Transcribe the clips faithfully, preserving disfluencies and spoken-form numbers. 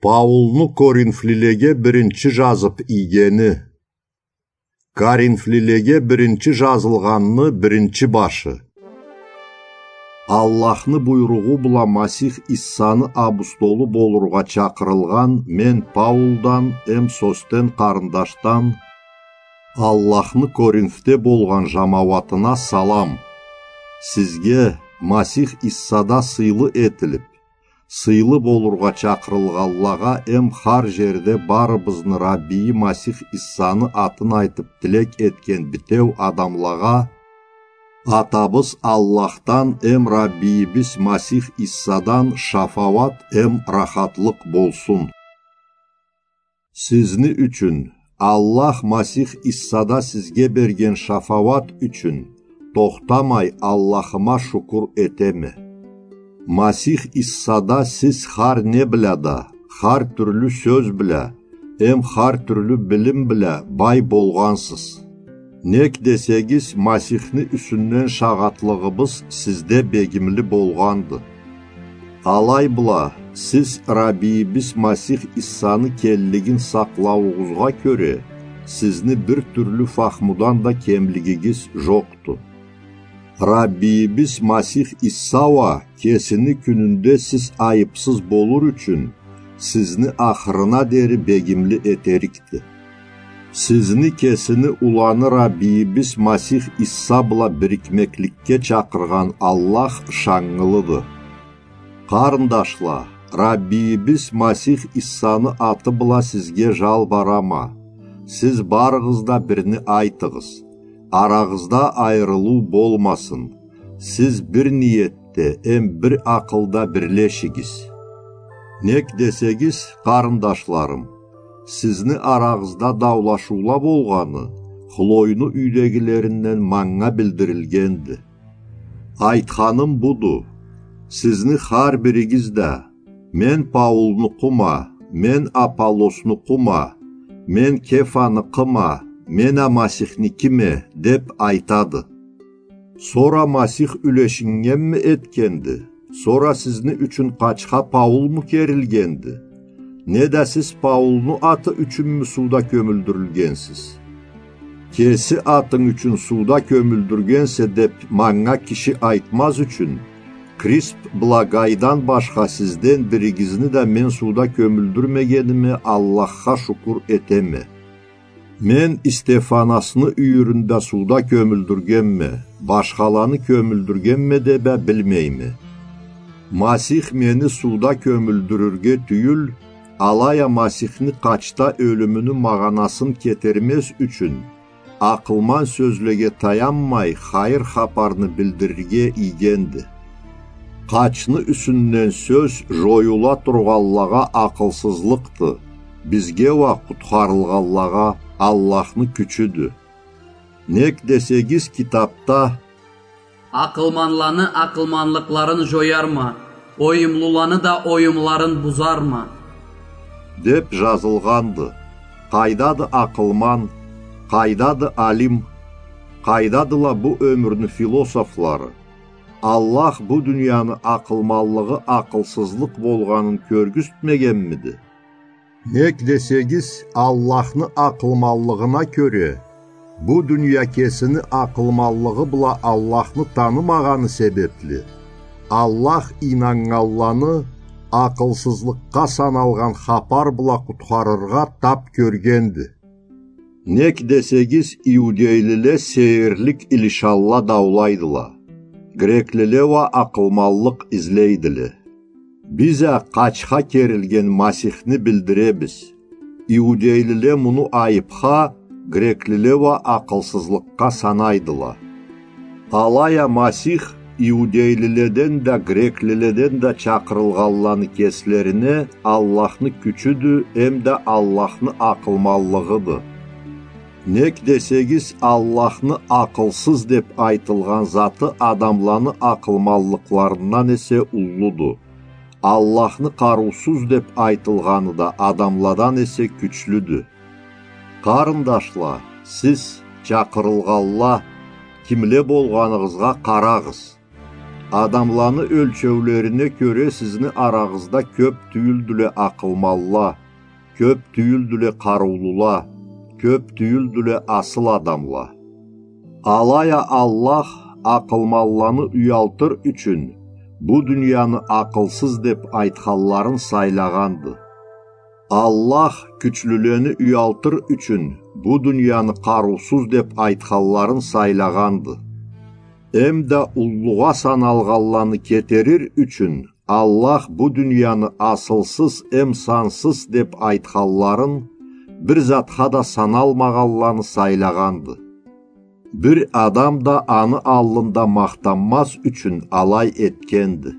Паулну коринфлилеге биринчи жазып ийгени. Коринфлилеге биринчи жазылгъанны биринчи башы. Аллахны буйругъу бла Масих Иссаны абустолу болургъа чакъырылгъан мен Паулдан эм Состен къарындашдан, Аллахны Коринфде болгъан жамауатына салам. Сизге, Масих Иссада сыйлы этилип, сыйлы болургъа чакъырылгъанлагъа эм хар жерде барыбызны Раббийи Масих Иссаны атын айтып тилек этген битеу адамлагъа, Атабыз Аллахдан эм Раббийибиз Масих Иссадан шафауат эм рахатлыкъ болсун. Сизни ючюн, Аллах Масих Иссада сизге берген шафауат ючюн, тохтамай Аллахыма шукур этеме. Масих Иссада сиз хар не бла да, хар тюрлю сёз бла, эм хар тюрлю билим бла бай болгъансыз. Нек десегиз, Масихни юсюнден шагъатлыгъыбыз сизде бегимли болгъанды. Алай бла, сиз Раббийибиз Масих Иссаны келлигин сакълауугъузгъа кёре, сизни бир тюрлю фахмудан да кемлигигиз жокъду. Раббийибиз Масих Исса уа кесини кюнюнде сиз айыпсыз болур ючюн, сизни ахырына дери бегимли этерикди. Сизни кесини уланы Раббийибиз Масих Исса бла бирикмекликге чакъыргъан Аллах ышаннгылыды. Къарындашла, Раббийибиз Масих Иссаны аты бла сизге жалбарама, сиз барыгъыз да бирни айтыгъыз, арагъызда айырылыу болмасын, сиз бир ниетде эм бир акъылда бирлешигиз. Нек десегиз, къарындашларым, сизни арагъызда даулашыула болгъаны Хлойну юйдегилеринден манга билдирилгенди. Айтханым буду: сизни хар биригиз да: «Мен Паулнукъума, мен Аполлоснукъума, мен Кефаныкъыма, мен а Масихникиме», — деп айтады. Сора Масих юлешиннгенми этгенди? Сора сизни ючюн къачха Паулму керилгенди? Неда сиз Паулну аты ючюнмю сууда кёмюлдюрюлгенсиз? Кеси атынг ючюн сууда кёмюлдюргенсе деп манга киши айтмаз ючюн, Крисп бла Гайдан башха сизден биригизни да мен сууда кёмюлдюрмегениме Аллахха шукур этеме. Мен Истефанасны юйюрюнде сууда кёмюлдюргенме, башхаланы кёмюлдюргенме деп а билмейме. Масих мени сууда кёмюлдюрюрге тюйюл, алай а Масихни къачда ёлюмюню магъанасын кетермез ючюн, акъылман сёзлеге таянмай, хайыр хапарны билдирирге ийгенди. Къачны юсюнден сёз жоюла тургъанлагъа акъылсызлыкъды, бизге уа, къутхарылгъанлагъа, Аллахны кючюдю. Нек десегиз, китапда: «Акъылманланы акъылманлыкъларын жоярма, оюмлуланы да оюмларын бузарма», — деп жазылгъанды. Къайдады акъылман, къайдады алим, къайдадыла бу ёмюрню философлары? Аллах бу дунияны акъылманлыгъы акъылсызлыкъ болгъанын кёргюзтмегенмиди? Нек десегиз, Аллахны акъылманлыгъына кёре, бу дуния кесини акъылманлыгъы бла Аллахны танымагъаны себепли, Аллах ийнаннганланы акъылсызлыкъгъа саналгъан хапар бла къутхарыргъа тап кёргенди. Нек десегиз, иудейлиле сейирлик илишалла даулайдыла, греклиле уа акъылманлыкъ излейдиле. Биз а къачха керилген Масихни билдиребиз. Иудейлиле муну айыпха, греклиле уа акъылсызлыкъгъа санайдыла. Алай а Масих иудейлиледен да, греклиледен да чакъырылгъанланы кеслерине Аллахны кючюдю эмда Аллахны акъылманлыгъыды. Нек десегиз, Аллахны акъылсыз деп айтылгъан заты адамланы акъылманлыкъларындан эсе уллуду. Аллахны къарыусуз деп айтылгъаны да адамладан эсе кючлюдю. Къарындашла, сиз, чакъырылгъанла, кимле болгъаныгъызгъа къарагъыз. Адамланы ёлчеулерине кёре сизни арагъызда кёп тюйюлдюле акъылманла, кёп тюйюлдюле къарыулула, кёп тюйюлдюле асыл адамла. Алай а Аллах акъылманланы уялтыр ючюн бу дунияны акъылсыз деп айтханларын сайлагъанды. Аллах кючлюлени уялтыр ючюн бу дунияны къарыусуз деп айтханларын сайлагъанды. Эм да уллугъа саналгъанланы кетерир ючюн Аллах бу дунияны асылсыз эм сансыз деп айтханларын, бир затха да саналмагъанланы сайлагъанды. Бир адам да аны аллында махтанмаз ючюн алай этгенди.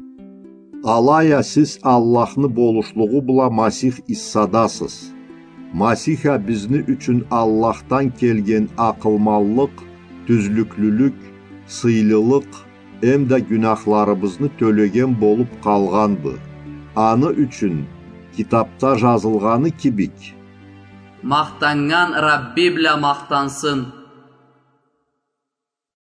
Алай а сиз Аллахны болушлугъу бла Масих Иссадасыз. Масих а бизни ючюн Аллахдан келген акъылманлыкъ, тюзлюклюлюк, сыйлылыкъ, эм да гюнахларыбызны тёлеген болуп къалгъанды. Аны ючюн китапда жазылгъаны кибик: Махтаннган Рабби бла махтансын.